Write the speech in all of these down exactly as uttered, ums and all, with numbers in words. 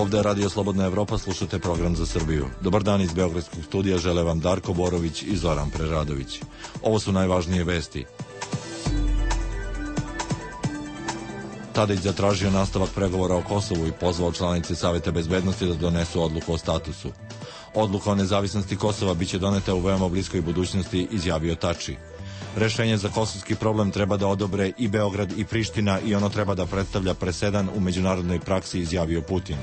Ovde je Radio Slobodna Evropa, slušate program za Srbiju. Dobar dan iz Beogradskog studija, žele vam Darko Borović i Zoran Preradović. Ovo su najvažnije vesti. Tadić zatražio nastavak pregovora o Kosovu i pozvao članice Saveta bezbednosti da donesu odluku o statusu. Odluka o nezavisnosti Kosova biće doneta u veoma bliskoj budućnosti, izjavio Tači. Rešenje za kosovski problem treba da odobre i Beograd i Priština i ono treba da predstavlja presedan u međunarodnoj praksi, izjavio Putin.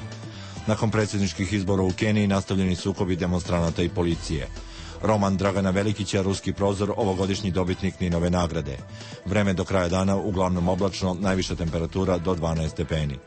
Nakon predsjedničkih izbora u Keniji nastavljeni sukobi demonstranata i policije. Roman Dragana Velikića, Ruski prozor, ovogodišnji dobitnik Ninove nagrade. Vreme do kraja dana uglavnom oblačno, najviša temperatura do dvanaest stepeni.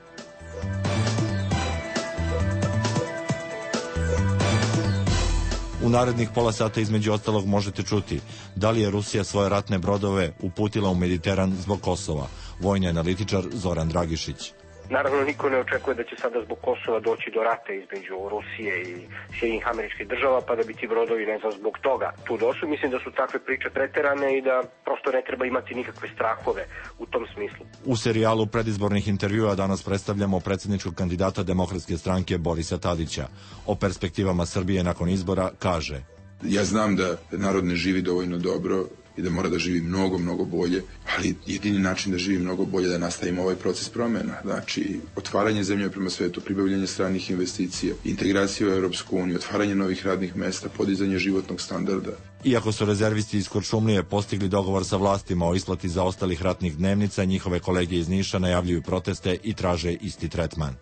U narednih pola sata između ostalog možete čuti da li je Rusija svoje ratne brodove uputila u Mediteran zbog Kosova. Vojni analitičar Zoran Dragišić. Naravno, niko ne očekuje da će sada zbog Kosova doći do rata između Rusije i Sjedinjenih Američkih Država, pa da bi ti brodovi, ne znam, zbog toga tu došli. Mislim da su takve priče preterane i da prosto ne treba imati nikakve strahove u tom smislu. U serijalu predizbornih intervjua danas predstavljamo predsjedničkog kandidata Demokratske stranke Borisa Tadića. O perspektivama Srbije nakon izbora kaže: Ja znam da narod ne živi dovoljno dobro i da mora da živi mnogo, mnogo bolje, ali jedini način da živi mnogo bolje je da nastavimo ovaj proces promjena. Znači, otvaranje zemlje prema svetu, pribavljanje stranih investicija, integracija u Europsku uniju, otvaranje novih radnih mesta, podizanje životnog standarda. Iako su rezervisti iz Kuršumlije postigli dogovor sa vlastima o isplati zaostalih ratnih dnevnica, njihove kolege iz Niša najavljuju proteste i traže isti tretman.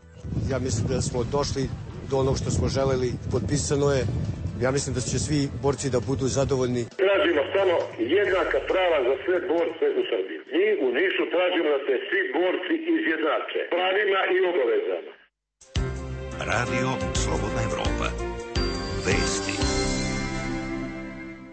Ja mislim da smo došli do onog što smo želeli, potpisano je. Ja mislim da će svi borci da budu zadovoljni. Tražimo samo jednaka prava za sve borce u Srbiji. Mi u Nišu tražimo da se svi borci izjednače pravima i obavezama. Radio Slobodna Evropa. Vesti.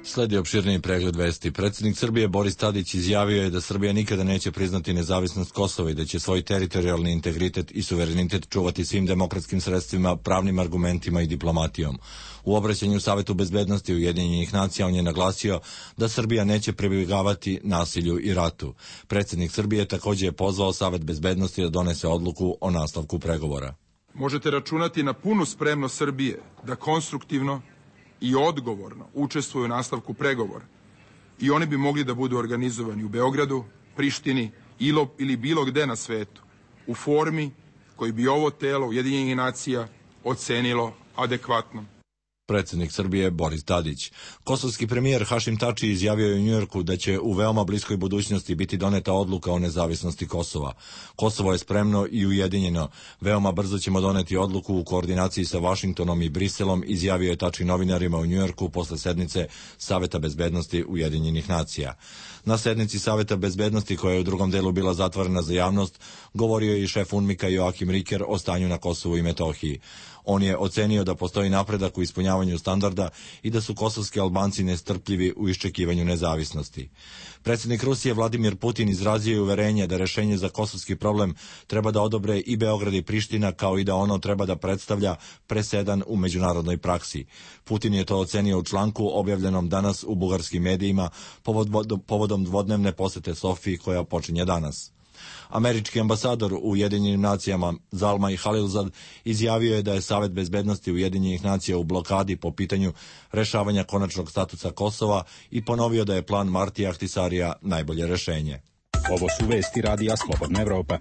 Sledi opširniji pregled vesti. Predsjednik Srbije Boris Tadić izjavio je da Srbija nikada neće priznati nezavisnost Kosova i da će svoj teritorijalni integritet i suverenitet čuvati svim demokratskim sredstvima, pravnim argumentima i diplomatijom. U obraćanju Savetu bezbednosti Ujedinjenih nacija on je naglasio da Srbija neće pribjegavati nasilju i ratu. Predsjednik Srbije također je pozvao Savet bezbednosti da donese odluku o nastavku pregovora. Možete računati na punu spremnost Srbije da konstruktivno i odgovorno učestvuju u nastavku pregovora i oni bi mogli da budu organizovani u Beogradu, Prištini ili bilo gde na svetu u formi koji bi ovo telo Ujedinjenih nacija ocenilo adekvatno. Predsjednik Srbije Boris Tadić. Kosovski premijer Hašim Tači izjavio je u Njujorku da će u veoma bliskoj budućnosti biti doneta odluka o nezavisnosti Kosova. Kosovo je spremno i ujedinjeno. Veoma brzo ćemo doneti odluku u koordinaciji sa Vašingtonom i Briselom, izjavio je Tači novinarima u Njujorku posle sednice Saveta bezbednosti Ujedinjenih nacija. Na sednici Saveta bezbednosti, koja je u drugom delu bila zatvorena za javnost, govorio je i šef UNMIK-a Joakim Riker o stanju na Kosovu i Metohiji. On je ocenio da postoji napredak u ispunjavanju standarda i da su kosovski Albanci nestrpljivi u iščekivanju nezavisnosti. Predsjednik Rusije Vladimir Putin izrazio je uverenje da rešenje za kosovski problem treba da odobre i Beograd i Priština, kao i da ono treba da predstavlja presedan u međunarodnoj praksi. Putin je to ocenio u članku objavljenom danas u bugarskim medijima povodom dvodnevne posete Sofiji koja počinje danas. Američki ambasador u Ujedinjenim nacijama Zalmay Khalilzad izjavio je da je Savet bezbednosti Ujedinjenih nacija u blokadi po pitanju rešavanja konačnog statusa Kosova i ponovio da je plan Martija Ahtisarija najbolje rešenje. Ovo su vesti Radija Slobodna Evropa.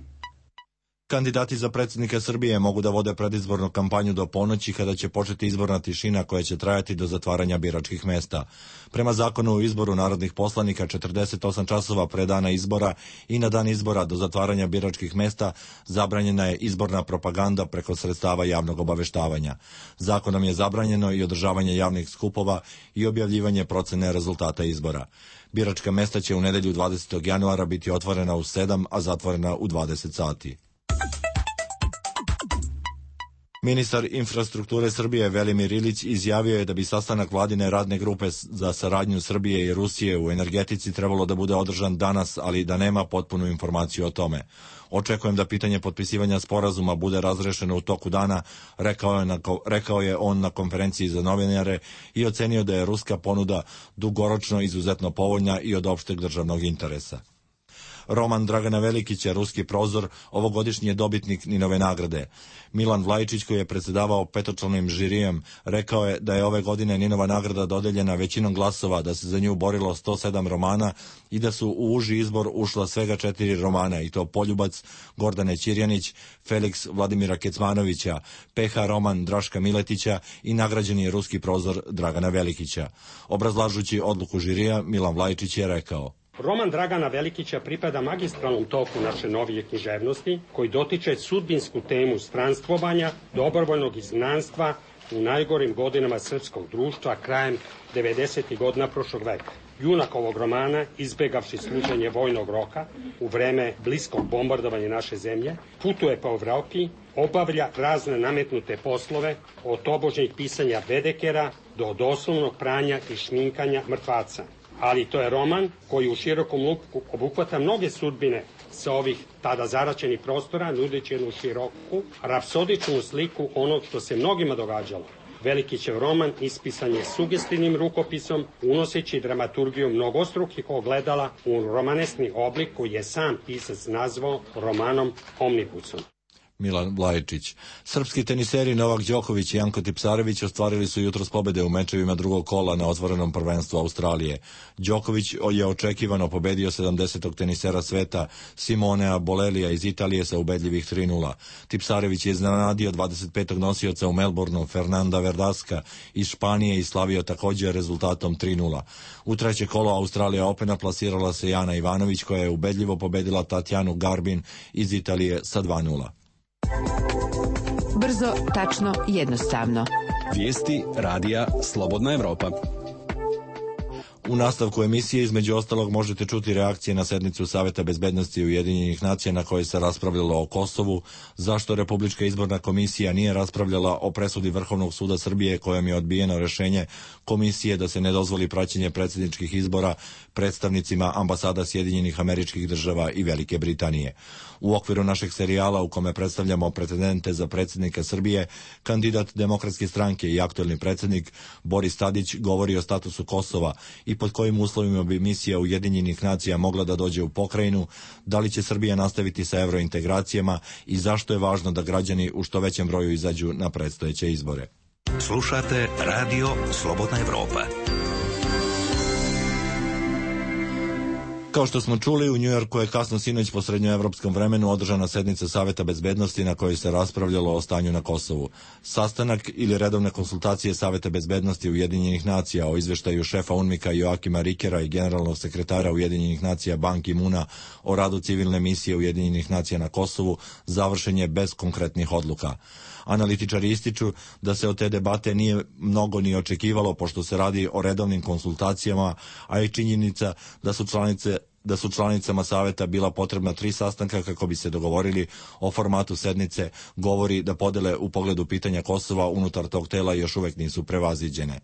Kandidati za predsjednika Srbije mogu da vode predizbornu kampanju do ponoći, kada će početi izborna tišina koja će trajati do zatvaranja biračkih mesta. Prema zakonu o izboru narodnih poslanika, četrdeset osam časova pre dana izbora i na dan izbora do zatvaranja biračkih mesta zabranjena je izborna propaganda preko sredstava javnog obaveštavanja. Zakonom je zabranjeno i održavanje javnih skupova i objavljivanje procene rezultata izbora. Biračka mesta će u nedelju dvadesetog januara biti otvorena u sedam, a zatvorena u dvadeset sati. Ministar infrastrukture Srbije Velimir Ilić izjavio je da bi sastanak vladine radne grupe za saradnju Srbije i Rusije u energetici trebalo da bude održan danas, ali da nema potpunu informaciju o tome. Očekujem da pitanje potpisivanja sporazuma bude razrešeno u toku dana, rekao je, na, rekao je on na konferenciji za novinare i ocenio da je ruska ponuda dugoročno izuzetno povoljna i od opšteg državnog interesa. Roman Dragana Velikića, Ruski prozor, ovogodišnji je dobitnik Ninove nagrade. Milan Vlajičić, koji je predsjedavao petočlanim žirijem, rekao je da je ove godine Ninova nagrada dodeljena većinom glasova, da se za nju borilo sto sedam romana i da su u uži izbor ušla svega četiri romana, i to Poljubac Gordane Ćirjanić, Feliks Vladimira Kecmanovića, P H roman Draška Miletića i nagrađeni Ruski prozor Dragana Velikića. Obrazlažući odluku žirija, Milan Vlajičić je rekao: Roman Dragana Velikića pripada magistralnom toku naše novije književnosti, koji dotiče sudbinsku temu stranstvovanja, dobrovoljnog izgnanstva u najgorim godinama srpskog društva krajem devedesetih godina prošlog veka. Junak ovog romana, izbegavši služenje vojnog roka u vreme bliskog bombardovanja naše zemlje, putuje po Evropi, obavlja razne nametnute poslove, od tobožnjih pisanja bedekera do doslovnog pranja i šminkanja mrtvaca. Ali to je roman koji u širokom luku obuhvata mnoge sudbine sa ovih tada zaraćenih prostora, nudeći jednu široku, rapsodičnu sliku onog što se mnogima događalo. Velikićev roman ispisan je sugestivnim rukopisom, unoseći dramaturgiju mnogostrukih ogledala u romanesni oblik koji je sam pisac nazvao romanom omnibusom. Milan Vlajičić. Srpski teniseri Novak Đoković i Janko Tipsarević ostvarili su jutros pobede u mečevima drugog kola na otvorenom prvenstvu Australije. Đoković je očekivano pobedio sedamdesetog tenisera sveta Simonea Bolelija iz Italije sa ubedljivih tri nula. Tipsarević je iznenadio dvadeset petog nosioca u Melbourneu Fernanda Verdaska iz Španije i slavio također rezultatom tri nula. U treće kolo Australija Opena plasirala se Jana Ivanović, koja je ubedljivo pobedila Tatjanu Garbin iz Italije sa dva nula. Brzo, tačno, jednostavno. Vijesti radija Slobodna Evropa. U nastavku emisije između ostalog možete čuti reakcije na sednicu Saveta bezbednosti Ujedinjenih nacija na kojoj se raspravljalo o Kosovu, zašto Republička izborna komisija nije raspravljala o presudi Vrhovnog suda Srbije kojom je odbijeno rešenje komisije da se ne dozvoli praćenje predsjedničkih izbora predstavnicima ambasada Sjedinjenih Američkih Država i Velike Britanije. U okviru našeg serijala u kome predstavljamo pretendente za predsjednika Srbije, kandidat Demokratske stranke i aktuelni predsjednik Boris Tadić govori o statusu Kosova i pod kojim uslovima bi misija Ujedinjenih nacija mogla da dođe u pokrajinu, da li će Srbija nastaviti sa evrointegracijama i zašto je važno da građani u što većem broju izađu na predstojeće izbore. Slušate Radio Slobodna Evropa. Kao što smo čuli, u Njujorku je kasno sinoć po srednjoevropskom vremenu održana sednica Saveta bezbednosti na kojoj se raspravljalo o stanju na Kosovu. Sastanak ili redovne konsultacije Saveta bezbednosti Ujedinjenih nacija o izveštaju šefa UNMIK-a Joakima Rikera i generalnog sekretara Ujedinjenih nacija Ban Ki-muna o radu civilne misije Ujedinjenih nacija na Kosovu završen je bez konkretnih odluka. Analitičari ističu da se od te debate nije mnogo ni očekivalo, pošto se radi o redovnim konsultacijama, a i činjenica da su članice da su članicama saveta bila potrebna tri sastanka kako bi se dogovorili o formatu sednice, govori da podele u pogledu pitanja Kosova unutar tog tela još uvek nisu prevaziđene.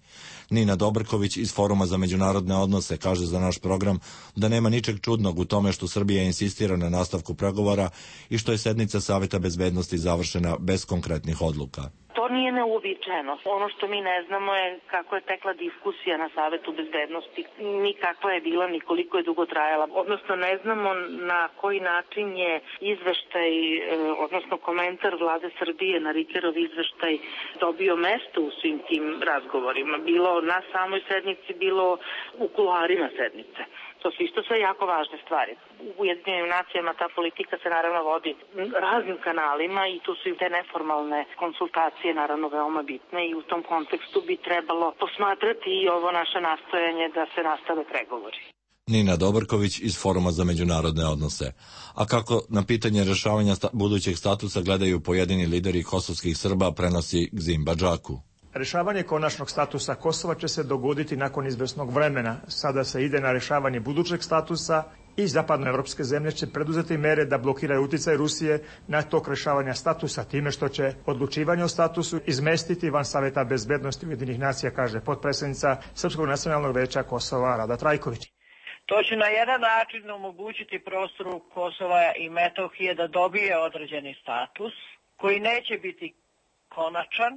Nina Dobrković iz Foruma za međunarodne odnose kaže za naš program da nema ničeg čudnog u tome što Srbija insistira na nastavku pregovora i što je sednica Saveta bezbednosti završena bez konkretnih odluka. To nije neuobičajeno. Ono što mi ne znamo je kako je tekla diskusija na Savetu bezbednosti, ni kakva je bila, ni koliko je dugo trajala. Odnosno ne znamo na koji način je izveštaj, odnosno komentar vlade Srbije na Rikerov izveštaj dobio mesto u svim tim razgovorima. Bilo na samoj sednici, bilo u kuloarima sednice. To su isto sve jako važne stvari. U Ujedinjenim nacijama ta politika se naravno vodi raznim kanalima i tu su i te neformalne konsultacije naravno veoma bitne i u tom kontekstu bi trebalo posmatrati i ovo naše nastojanje da se nastave pregovori. Nina Dobrković iz Foruma za međunarodne odnose. A kako na pitanje rešavanja sta- budućeg statusa gledaju pojedini lideri kosovskih Srba, prenosi Gzim Badžaku. Rešavanje konačnog statusa Kosova će se dogoditi nakon izvesnog vremena. Sada se ide na rešavanje budućeg statusa i zapadnoevropske zemlje će preduzeti mere da blokiraju uticaj Rusije na tok rešavanja statusa time što će odlučivanje o statusu izmestiti van Saveta bezbednosti Ujedinjenih nacija, kaže potpredsjednica Srpskog nacionalnog veća Kosova Rada Trajković. To će na jedan način omogućiti prostoru Kosova i Metohije da dobije određeni status koji neće biti konačan,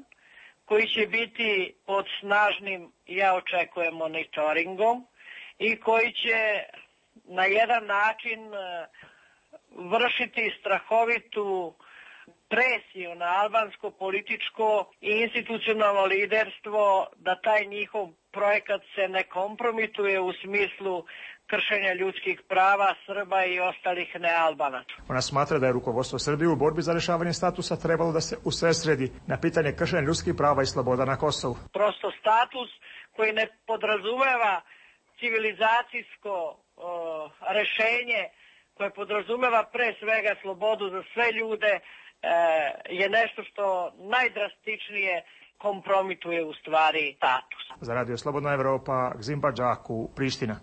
koji će biti pod snažnim, ja očekujem, monitoringom i koji će na jedan način vršiti strahovitu presiju na albansko političko i institucionalno liderstvo da taj njihov projekat se ne kompromituje u smislu kršenja ljudskih prava Srba i ostalih nealbanaca. Ona smatra da je rukovodstvo Srbije u borbi za rešavanje statusa trebalo da se usredsredi na pitanje kršenja ljudskih prava i sloboda na Kosovu. Prosto status koji ne podrazumeva civilizacijsko o, rešenje, koje podrazumeva pre svega slobodu za sve ljude, e, je nešto što najdrastičnije kompromituje u stvari status. Za Radio Slobodna Evropa, Gzimba Džaku, Priština.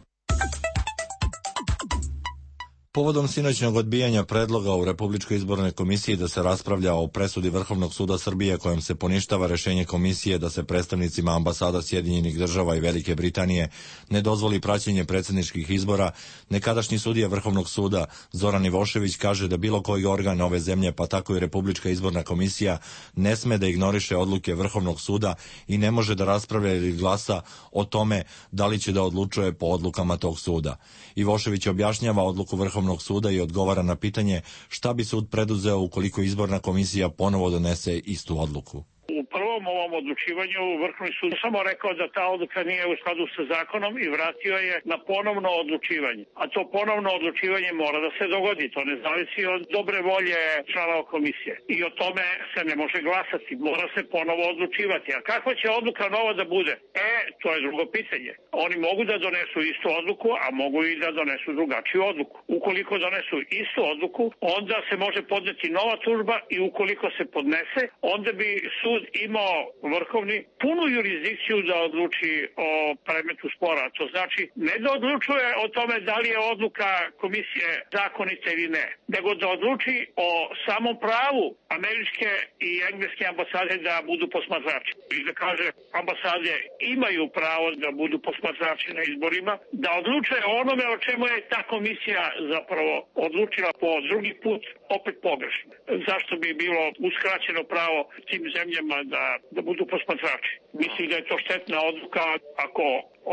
Povodom sinoćnog odbijanja predloga u Republičkoj izbornoj komisiji da se raspravlja o presudi Vrhovnog suda Srbije kojom se poništava rešenje komisije da se predstavnicima ambasada Sjedinjenih država i Velike Britanije ne dozvoli praćenje predsjedničkih izbora, nekadašnji sudija Vrhovnog suda Zoran Ivošević kaže da bilo koji organ ove zemlje, pa tako i Republička izborna komisija, ne sme da ignoriše odluke Vrhovnog suda i ne može da raspravlja ili glasa o tome da li će da odlučuje po odlukama tog suda. Ivošević objašnjava odluku Vrhovnog suda i odgovara na pitanje šta bi sud preduzeo ukoliko izborna komisija ponovo donese istu odluku. U prvom ovom odlučivanju Vrhovni sud samo rekao da ta odluka nije u skladu sa zakonom i vratio je na ponovno odlučivanje. A to ponovno odlučivanje mora da se dogodi. To ne zavisi od dobre volje članova komisije. I o tome se ne može glasati. Mora se ponovo odlučivati. A kakva će odluka nova da bude? E, to je drugo pitanje. Oni mogu da donesu istu odluku, a mogu i da donesu drugačiju odluku. Ukoliko donesu istu odluku, onda se može podneti nova tužba i ukoliko se podnese, onda bi sud imao vrhovni punu jurisdikciju da odluči o predmetu spora. To znači ne da odlučuje o tome da li je odluka komisije zakonita ili ne, nego da odluči o samom pravu američke i engleske ambasade da budu posmatrači. I da kaže ambasade imaju pravo da budu posmatrači na izborima, da odlučuje o onome o čemu je ta komisija zapravo odlučila po drugi put opet pogrešno. Zašto bi bilo uskraćeno pravo tim zemljama da, da budu posmatrači? Mislim da je to štetna odluka. Ako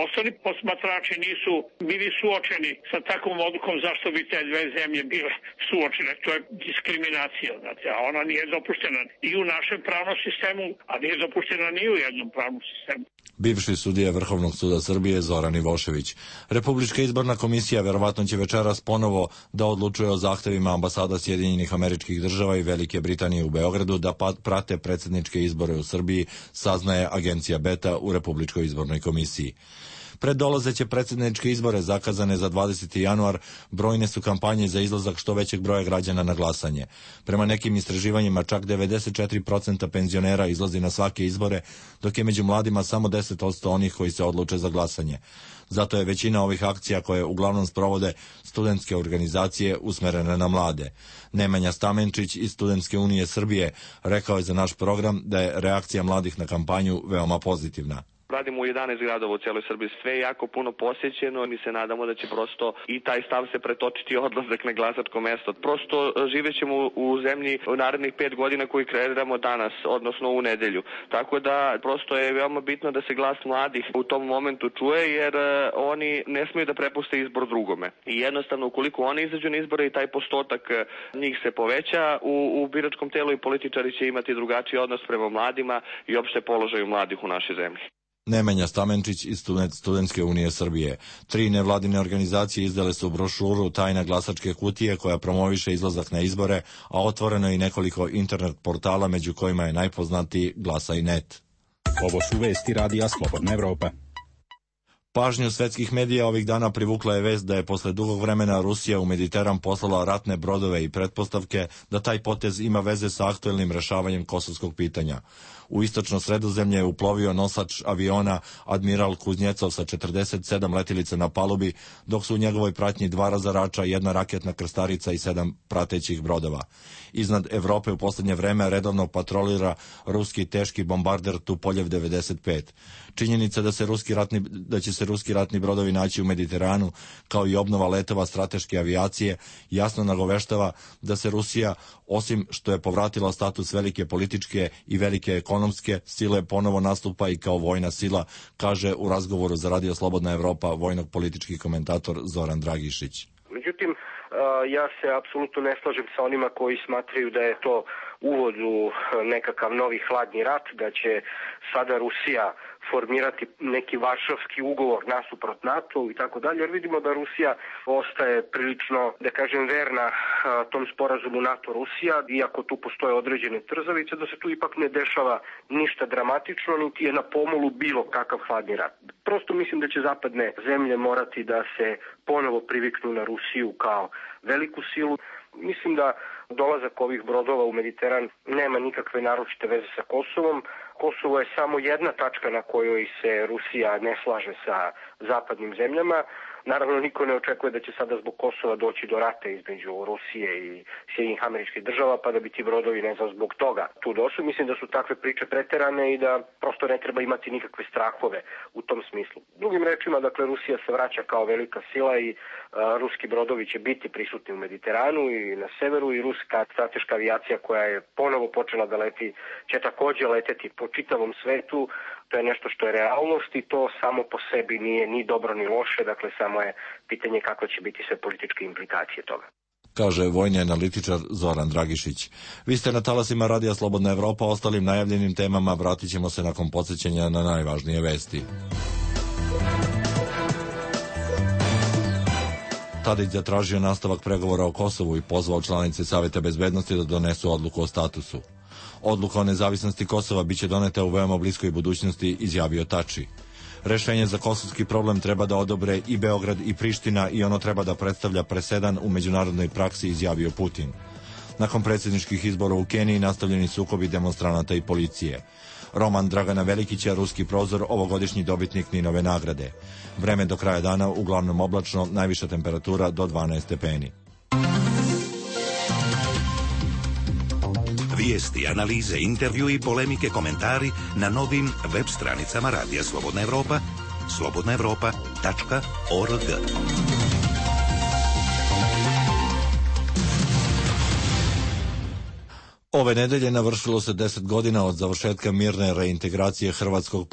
ostali posmatrači nisu bili suočeni sa takvom odlukom, zašto bi te dve zemlje bile suočene? To je diskriminacija, znate, a ona nije dopuštena i u našem pravnom sistemu, a nije dopuštena ni u jednom pravnom sistemu. Bivši sudija Vrhovnog suda Srbije Zoran Ivošević. Republička izborna komisija verovatno će večeras ponovo da odlučuje o zahtevima ambasada Sjedinjenih Američkih Država i Velike Britanije u Beogradu da prate predsjedničke izbore u Srbiji, saznaje agencija Beta u Republičkoj izbornoj komisiji. Pred dolazeće predsjedničke izbore zakazane za dvadeseti januar, brojne su kampanje za izlazak što većeg broja građana na glasanje. Prema nekim istraživanjima čak devedeset četiri posto penzionera izlazi na svake izbore, dok je među mladima samo deset posto onih koji se odluče za glasanje. Zato je većina ovih akcija koje uglavnom sprovode studentske organizacije usmerene na mlade. Nemanja Stamenčić iz Studentske unije Srbije rekao je za naš program da je reakcija mladih na kampanju veoma pozitivna. Radimo u jedanaest gradova u cijeloj Srbiji, sve je jako puno posjećeno i mi se nadamo da će prosto i taj stav se pretočiti odlazak na glasačko mesto. Prosto živećemo u zemlji u narednih pet godina koji kreiramo danas, odnosno u nedelju. Tako da prosto je veoma bitno da se glas mladih u tom momentu čuje, jer oni ne smiju da prepuste izbor drugome. I jednostavno ukoliko oni izađu na izbore i taj postotak njih se poveća, u, u biračkom telu i političari će imati drugačiji odnos prema mladima i opšte položaju mladih u našoj zemlji. Nemanja Stamenčić iz Studentske unije Srbije. Tri nevladine organizacije izdale su brošuru Tajna glasačke kutije koja promoviše izlazak na izbore, a otvoreno je i nekoliko internet portala među kojima je najpoznatiji Glasaj net. Ovo su vesti Radija Slobodna Evropa. Pažnju svetskih medija ovih dana privukla je vest da je posle dugog vremena Rusija u Mediteran poslala ratne brodove i pretpostavke da taj potez ima veze sa aktuelnim rešavanjem kosovskog pitanja. U istočno Sredozemlje je uplovio nosač aviona Admiral Kuznjecov sa četrdeset sedam letilica na palubi, dok su u njegovoj pratnji dva razarača, jedna raketna krstarica i sedam pratećih brodova. Iznad Evrope u poslednje vreme redovno patrolira ruski teški bombarder Tupoljev devedeset pet. Činjenica da se ruski ratni, da će se ruski ratni brodovi naći u Mediteranu, kao i obnova letova strateške avijacije, jasno nagoveštava da se Rusija, osim što je povratila status velike političke i velike ekonomske sile, ponovo nastupa i kao vojna sila, kaže u razgovoru za Radio Slobodna Evropa vojno-politički komentator Zoran Dragišić. Međutim, ja se apsolutno ne slažem sa onima koji smatraju da je to uvod u nekakav novi hladni rat, da će sada Rusija formirati neki varšavski ugovor nasuprot NATO i tako dalje, jer vidimo da Rusija ostaje prilično, da kažem, verna tom sporazumu NATO-Rusija, iako tu postoje određene trzavice, da se tu ipak ne dešava ništa dramatično, niti je na pomolu bilo kakav hladni rat. Prosto mislim da će zapadne zemlje morati da se ponovo priviknu na Rusiju kao veliku silu. Mislim da dolazak ovih brodova u Mediteran nema nikakve naročite veze sa Kosovom. Kosovo je samo jedna tačka na kojoj se Rusija ne slaže sa zapadnim zemljama. Naravno, niko ne očekuje da će sada zbog Kosova doći do rata između Rusije i Sjedinjenih Američkih Država, pa da bi ti brodovi, ne znam, zbog toga tu došli. Mislim da su takve priče preterane i da prosto ne treba imati nikakve strahove u tom smislu. Drugim rečima, dakle, Rusija se vraća kao velika sila i a, ruski brodovi će biti prisutni u Mediteranu i na severu, i ruska strateška avijacija koja je ponovo počela da leti će takođe leteti po čitavom svetu. To je nešto što je realnost i to samo po sebi nije ni dobro ni loše, dakle samo je pitanje kako će biti sve političke implikacije toga. Kaže vojni analitičar Zoran Dragišić. Vi ste na talasima Radija Slobodna Evropa, ostalim najavljenim temama vratit ćemo se nakon podsjećanja na najvažnije vesti. Tadić zatražio nastavak pregovora o Kosovu i pozvao članice Saveta bezbednosti da donesu odluku o statusu. Odluka o nezavisnosti Kosova biće doneta u veoma bliskoj budućnosti, izjavio Tači. Rešenje za kosovski problem treba da odobre i Beograd i Priština i ono treba da predstavlja presedan u međunarodnoj praksi, izjavio Putin. Nakon predsjedničkih izbora u Keniji nastavljeni sukobi demonstranata i policije. Roman Dragana Velikića, Ruski prozor, ovogodišnji dobitnik Ninove nagrade. Vreme do kraja dana uglavnom oblačno, najviša temperatura do dvanaest stepeni. Vijesti, analize, intervju i polemike, komentari na novim web stranicama Radija Slobodna Evropa, slobodna evropa tačka org. Ove nedelje navršilo se deset godina od završetka mirne reintegracije Hrvatskog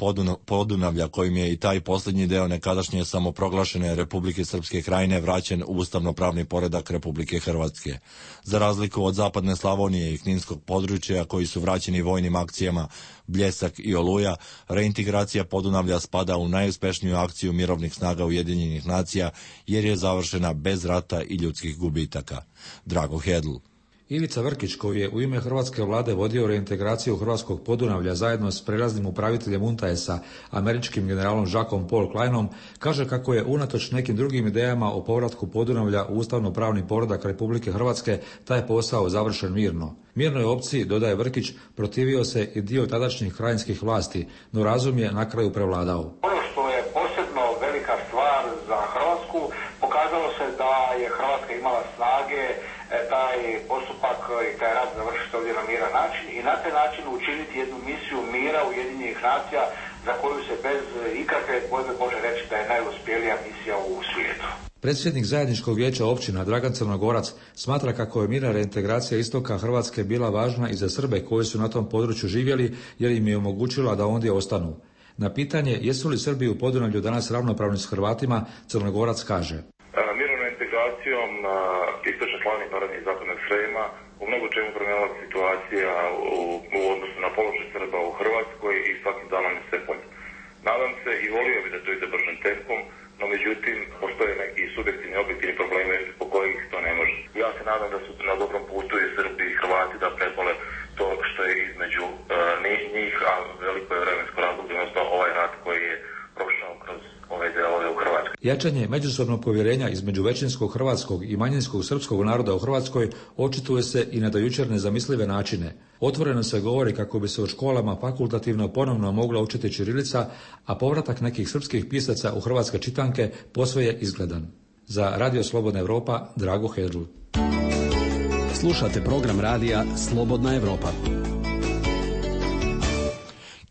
Podunavlja, kojim je i taj posljednji deo nekadašnje samoproglašene Republike Srpske Krajine vraćen u ustavno-pravni poredak Republike Hrvatske. Za razliku od zapadne Slavonije i Kninskog područja, koji su vraćeni vojnim akcijama Bljesak i Oluja, reintegracija Podunavlja spada u najuspešniju akciju mirovnih snaga Ujedinjenih nacija, jer je završena bez rata i ljudskih gubitaka. Drago Hedl. Ivica Vrkić, koji je u ime hrvatske vlade vodio reintegraciju Hrvatskog Podunavlja zajedno s prelaznim upraviteljem U N T A E S-a, američkim generalom Jackom Paul Kleinom, kaže kako je unatoč nekim drugim idejama o povratku Podunavlja u ustavno-pravni poredak Republike Hrvatske taj posao završen mirno. Mirnoj opciji, dodaje Vrkić, protivio se i dio tadašnjih krajinskih vlasti, no razum je na kraju prevladao. Ono što je posebno velika stvar za Hrvatsku, pokazalo se da je Hrvatska imala snage taj postupak i taj rad završiti ovdje na miran način i na taj način učiniti jednu misiju mira Ujedinjenih nacija za koju se bez ikakve dvojbe može reći da je najuspjelija misija u svijetu. Predsjednik zajedničkog vijeća općina Dragan Crnogorac smatra kako je mirna reintegracija istoka Hrvatske bila važna i za Srbe koji su na tom području živjeli, jer im je omogućila da ondje ostanu. Na pitanje jesu li Srbi u Podunavlju danas ravnopravni s Hrvatima, Crnogorac kaže: Mirnom reintegracijom istočne Slavonije, Narodne i Zapadnog Srema u mnogo čemu promijenila situacija u, u odnosu na položaj Srba u Hrvatskoj i svakim danom se bolje. Nadam se i volio bi da to ide bržim tempom, no međutim postoje neki subjektivni, objektivni problemi po kojih to ne može. Ja se nadam da su na dobrom putu i Srbi i Hrvati da prepole to što je između uh, njih, a veliko je vremensko razdoblje, odnosno ovaj rat koji je prošao kroz ove delove u Hrvatskoj. Jačanje međusobnog povjerenja između većinskog hrvatskog i manjinskog srpskog naroda u Hrvatskoj očituje se i na do jučer nezamislive načine. Otvoreno se govori kako bi se u školama fakultativno ponovno mogla učiti ćirilica, a povratak nekih srpskih pisaca u hrvatske čitanke posve je izgledan. Za Radio Slobodna Evropa, Drago Hedl. Slušate program radija Slobodna Evropa.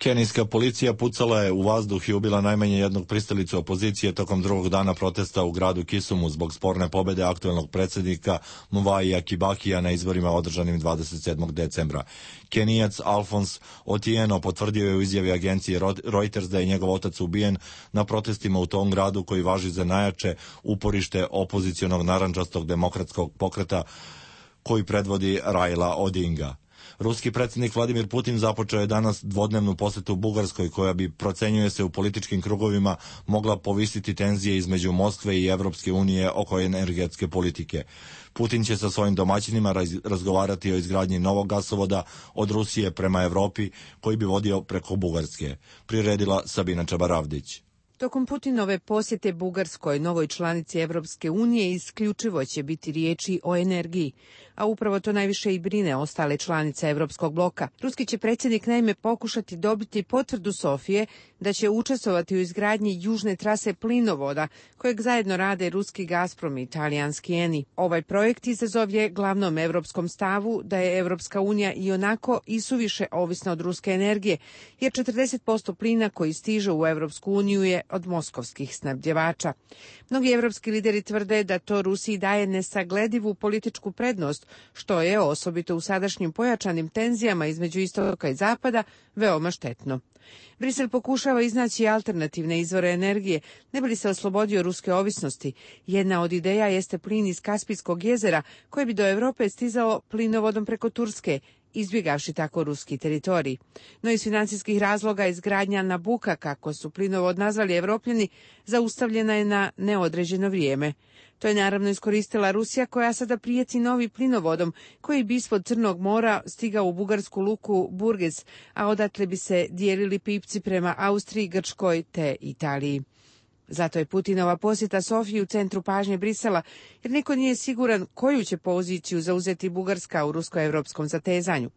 Kenijska policija pucala je u vazduh i ubila najmanje jednog pristalicu opozicije tokom drugog dana protesta u gradu Kisumu zbog sporne pobede aktuelnog predsjednika Mwai Kibakija na izborima održanim dvadeset sedmog decembra. Kenijac Alphonse Otieno potvrdio je u izjavi agencije Reuters da je njegov otac ubijen na protestima u tom gradu koji važi za najjače uporište opozicionog narandžastog demokratskog pokreta koji predvodi Raila Odinga. Ruski predsjednik Vladimir Putin započeo je danas dvodnevnu posjetu Bugarskoj koja bi, procenjuje se u političkim krugovima, mogla povisiti tenzije između Moskve i Evropske unije oko energetske politike. Putin će sa svojim domaćinima raz, razgovarati o izgradnji novog gasovoda od Rusije prema Evropi koji bi vodio preko Bugarske. Priredila Sabina Čabaravdić. Tokom Putinove posjete Bugarskoj, novoj članici Evropske unije, isključivo će biti riječi o energiji, a upravo to najviše i brine ostale članice Evropskog bloka. Ruski će predsjednik naime pokušati dobiti potvrdu Sofije da će učestvovati u izgradnji južne trase plinovoda, kojeg zajedno rade ruski Gazprom i italijanski Eni. Ovaj projekt izazov je glavnom evropskom stavu da je Evropska unija i onako isuviše ovisna od ruske energije, jer četrdeset posto plina koji stiže u Evropsku uniju je od moskovskih snabdjevača. Mnogi evropski lideri tvrde da to Rusiji daje nesagledivu političku prednost, što je, osobito u sadašnjim pojačanim tenzijama između istoka i zapada, veoma štetno. Brisel pokušava iznaći alternativne izvore energije, ne bi li se oslobodio ruske ovisnosti. Jedna od ideja jeste plin iz Kaspijskog jezera, koji bi do Europe stizao plinovodom preko Turske, izbjegavši tako ruski teritorij. No iz financijskih razloga izgradnja Nabuka, kako su plinovod nazvali Evropljani, zaustavljena je na neodređeno vrijeme. To je naravno iskoristila Rusija, koja sada prijeti novi plinovodom koji bi ispod Crnog mora stigao u bugarsku luku Burges, a odatle bi se dijelili pipci prema Austriji, Grčkoj te Italiji. Zato je Putinova posjeta Sofiji u centru pažnje Brisela, jer niko nije siguran koju će poziciju zauzeti Bugarska u rusko-evropskom zatezanju.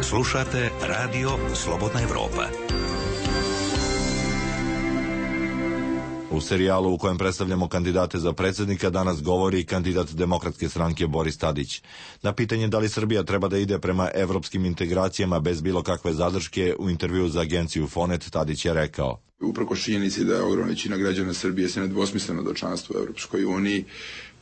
Slušate Radio Slobodna Evropa. U serijalu u kojem predstavljamo kandidate za predsjednika danas govori kandidat Demokratske stranke Boris Tadić. Na pitanje da li Srbija treba da ide prema evropskim integracijama bez bilo kakve zadrške, u intervju za agenciju Fonet Tadić je rekao: Uprkos činjenici da je ogromna većina građana Srbije se nedvosmisleno do članstva u Evropskoj uniji,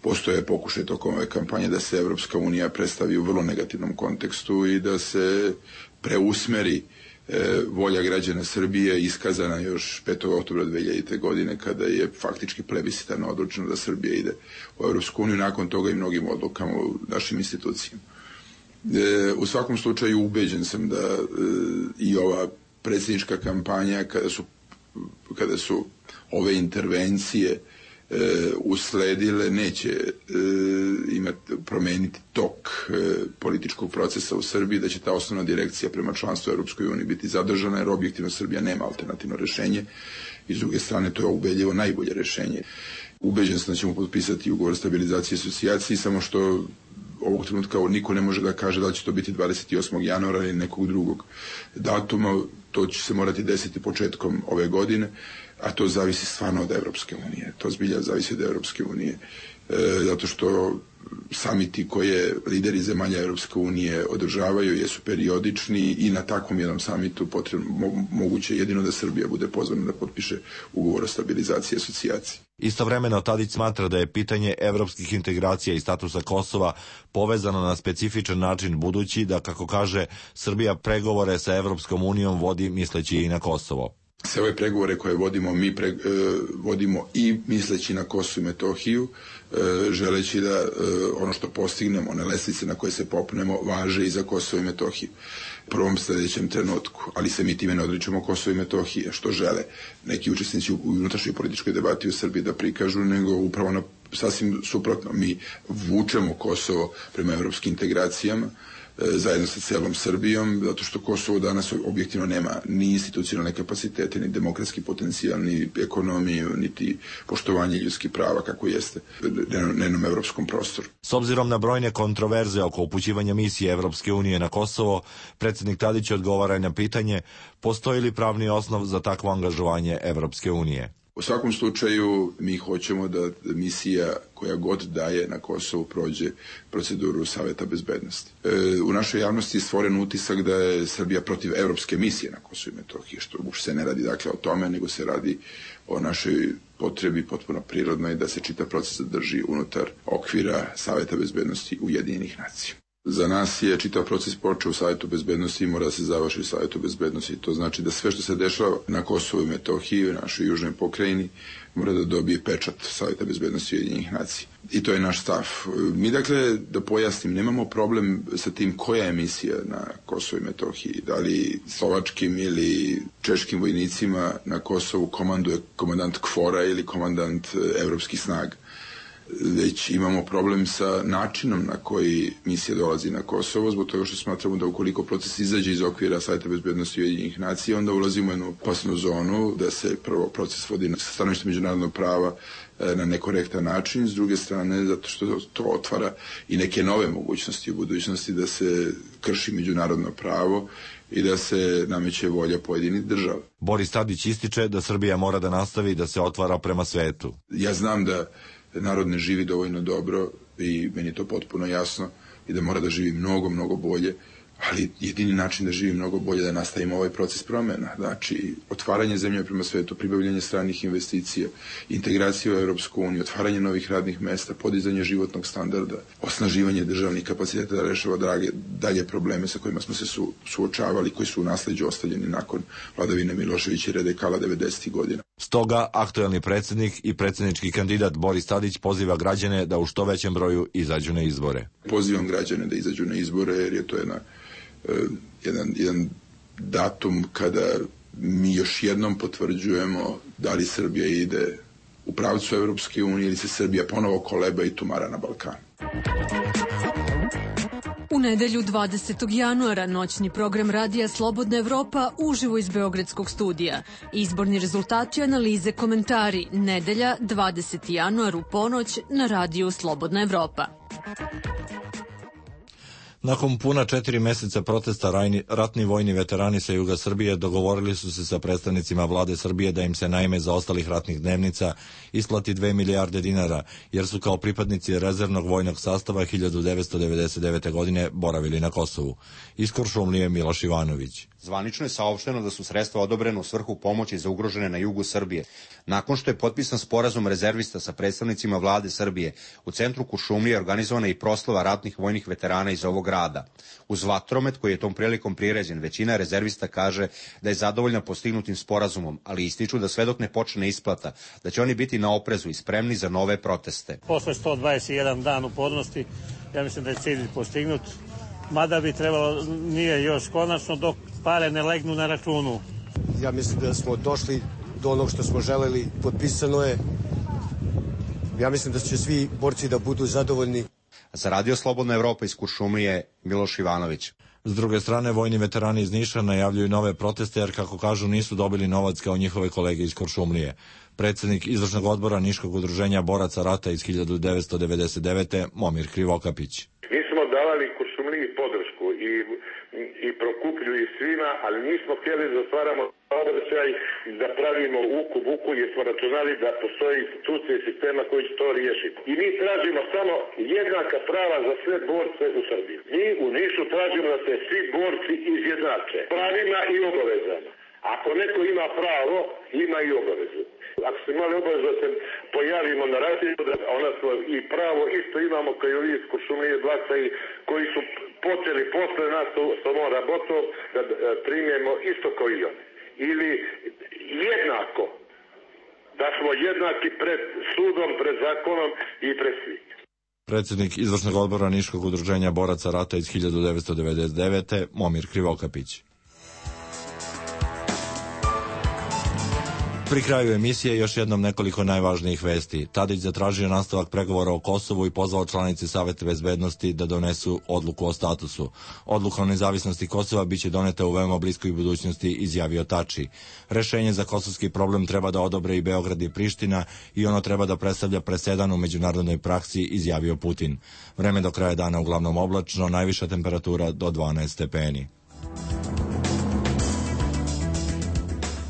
postoje pokušaj tokom ove kampanje da se Evropska unija predstavi u vrlo negativnom kontekstu i da se preusmeri e, volja građana Srbije iskazana još petog oktobra dve hiljadite. godine kada je faktički plebiscitarno odlučeno da Srbija ide u Evropsku uniju, nakon toga i mnogim odlukama u našim institucijama. E, u svakom slučaju ubeđen sam da e, i ova predsjednička kampanja, kada su kada su ove intervencije e, usledile, neće e, imati, promeniti tok e, političkog procesa u Srbiji, da će ta osnovna direkcija prema članstvu u Europskoj uniji biti zadržana, jer objektivno Srbija nema alternativno rješenje i s druge strane to je ubedljivo najbolje rješenje. Ubeđen sam da ćemo potpisati ugovor o stabilizaciji i asocijaciji, samo što ovog trenutka niko ne može da kaže da li će to biti dvadeset osmog januara ili nekog drugog datuma. To će se morati desiti početkom ove godine, a to zavisi stvarno od Evropske unije. To zbilja zavisi od Evropske unije, e, zato što samiti koje lideri zemalja Evropske unije održavaju jesu periodični i na takvom jednom samitu potrebno, mo, moguće jedino da Srbija bude pozvana da potpiše ugovor o stabilizaciji i asocijaciji. Istovremeno Tadić smatra da je pitanje evropskih integracija i statusa Kosova povezano na specifičan način, budući da, kako kaže, Srbija pregovore sa Evropskom unijom vodi misleći i na Kosovo. Sve ove pregovore koje vodimo, mi pre, e, vodimo i misleći na Kosovo i Metohiju, e, želeći da e, ono što postignemo, one lestvice na koje se popnemo, važe i za Kosovo i Metohiju. U prvom sljedećem trenutku, ali se mi time ne odričemo Kosovo i Metohije, što žele neki učesnici u unutrašnjoj političkoj debati u Srbiji da prikažu, nego upravo na sasvim suprotno. Mi vučemo Kosovo prema evropskim integracijama, zajedno sa celom Srbijom, zato što Kosovo danas objektivno nema ni institucionalne kapacitete, ni demokratski potencijal, ni ekonomiju, niti poštovanje ljudskih prava kako jeste na jednom evropskom prostoru. S obzirom na brojne kontroverze oko upućivanja misije Evropske unije na Kosovo, predsjednik Tadić odgovara na pitanje postoji li pravni osnov za takvo angažovanje Evropske unije. U svakom slučaju mi hoćemo da misija koja god daje na Kosovu prođe proceduru Saveta bezbednosti. E, u našoj javnosti je stvoren utisak da je Srbija protiv evropske misije na Kosovu i Metohiji, što uopšte se ne radi dakle o tome, nego se radi o našoj potrebi potpuno prirodnoj da se čitav proces drži unutar okvira Saveta bezbednosti Ujedinjenih nacija. Za nas je čitav proces počeo u Savetu bezbednosti i mora da se završi u Savetu bezbednosti. To znači da sve što se dešava na Kosovu i Metohiji, u našoj južnoj pokrajini, mora da dobije pečat Saveta bezbednosti Ujedinjenih nacija. I to je naš stav. Mi, dakle, da pojasnim, nemamo problem sa tim koja je misija na Kosovu i Metohiji. Da li slovačkim ili češkim vojnicima na Kosovu komanduje komandant KFOR-a ili komandant evropskih snaga. Već imamo problem sa načinom na koji misija dolazi na Kosovo, zbog toga što smatramo da ukoliko proces izađe iz okvira Saveta bezbednosti Ujedinjenih nacija, onda ulazimo u jednu opasnu zonu da se prvo proces vodi sa stanovišta međunarodnog prava na nekorektan način, s druge strane zato što to otvara i neke nove mogućnosti u budućnosti da se krši međunarodno pravo i da se nameće volja pojedinih država. Boris Tadić ističe da Srbija mora da nastavi da se otvara prema svetu. Ja znam da narod ne živi dovoljno dobro i meni je to potpuno jasno i da mora da živi mnogo, mnogo bolje, ali jedini način da živi mnogo bolje je da nastavimo ovaj proces promjena. Znači, otvaranje zemlje prema svetu, pribavljanje stranih investicija, integracija u Evropsku uniju, otvaranje novih radnih mesta, podizanje životnog standarda, osnaživanje državnih kapaciteta da rešava drage, dalje probleme sa kojima smo se su, suočavali, koji su u nasleđu ostavljeni nakon vladavine Miloševića i Redekala devedesetih godina. Stoga, aktuelni predsjednik i predsjednički kandidat Boris Tadić poziva građane da u što većem broju izađu na izbore. Pozivam građane da izađu na izbore jer je to jedna, uh, jedan, jedan datum kada mi još jednom potvrđujemo da li Srbija ide u pravcu Evropske unije ili se Srbija ponovo koleba i tumara na Balkanu. U nedelju dvadesetog januara noćni program radija Slobodna Evropa uživo iz Beogradskog studija. Izborni rezultati, analize, komentari. Nedelja dvadeseti januar u ponoć na radiju Slobodna Evropa. Nakon puna četiri meseca protesta rajni, ratni vojni veterani sa juga Srbije dogovorili su se sa predstavnicima vlade Srbije da im se na ime zaostalih ratnih dnevnica isplati dve milijarde dinara, jer su kao pripadnici rezervnog vojnog sastava hiljadu devetsto devedeset devete. godine boravili na Kosovu. Iz Kuršumlije Miloš Ivanović. Zvanično je saopšteno da su sredstva odobrena u svrhu pomoći za ugrožene na jugu Srbije. Nakon što je potpisan sporazum rezervista sa predstavnicima vlade Srbije, u centru Kuršumlije organizovana i proslava ratnih vojnih veterana iz ovog grada. Uz vatromet koji je tom prilikom priređen, većina rezervista kaže da je zadovoljna postignutim sporazumom, ali ističu da sve dok ne počne isplata, da će oni biti na oprezu i spremni za nove proteste. Posle sto dvadeset jedan dan upornosti, ja mislim da je cilj postignut, mada bi trebalo, nije još konačno, dok pare ne legnu na računu. Ja mislim da smo došli do onog što smo želeli, potpisano je. Ja mislim da će svi borci da budu zadovoljni. Za Radio Slobodna Evropa iz Kuršumlije, Miloš Ivanović. S druge strane, vojni veterani iz Niša najavljuju nove proteste jer, kako kažu, nisu dobili novac kao njihove kolege iz Kuršumlije. Predsjednik izvršnog odbora Niškog udruženja boraca rata iz hiljadu devetsto devedeset devete. Momir Krivokapić. Mi smo davali Kuršumliji podršku i, i Prokuplju i svima, ali nismo htjeli da stvaramo obraćaj, da pravimo uku buku, jer smo računali da postoje institucije i sistema koji će to riješiti. I mi tražimo samo jednaka prava za sve borce u Srbiji. Mi u Nišu tražimo da se svi borci izjednače pravima i obavezama. Ako neko ima pravo, ima i obavezu. Ako smo imali obavezu da se pojavimo na radiju, onda smo i pravo isto imamo kao i ovi iz Kuršumlije Blaca i koji su počeli posle nas sa ovom rabotom da primjemo isto kao i oni. Ili jednako, da smo jednaki pred sudom, pred zakonom i pred svih. Predsjednik izvršnog odbora Niškog udruženja boraca rata iz hiljadu devetsto devedeset devete. Momir Krivokapić. Pri kraju emisije još jednom nekoliko najvažnijih vesti. Tadić zatražio nastavak pregovora o Kosovu i pozvao članice Saveta bezbednosti da donesu odluku o statusu. Odluka o nezavisnosti Kosova biće doneta u veoma bliskoj budućnosti, izjavio Tači. Rešenje za kosovski problem treba da odobre i Beograd i Priština i ono treba da predstavlja presedan u međunarodnoj praksi, izjavio Putin. Vreme do kraja dana uglavnom oblačno, najviša temperatura do dvanaest stepeni.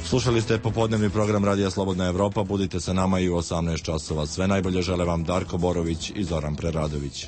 Slušali ste popodnevni program Radija Slobodna Evropa. Budite sa nama i u osamnaest časova. Sve najbolje žele vam Darko Borović i Zoran Preradović.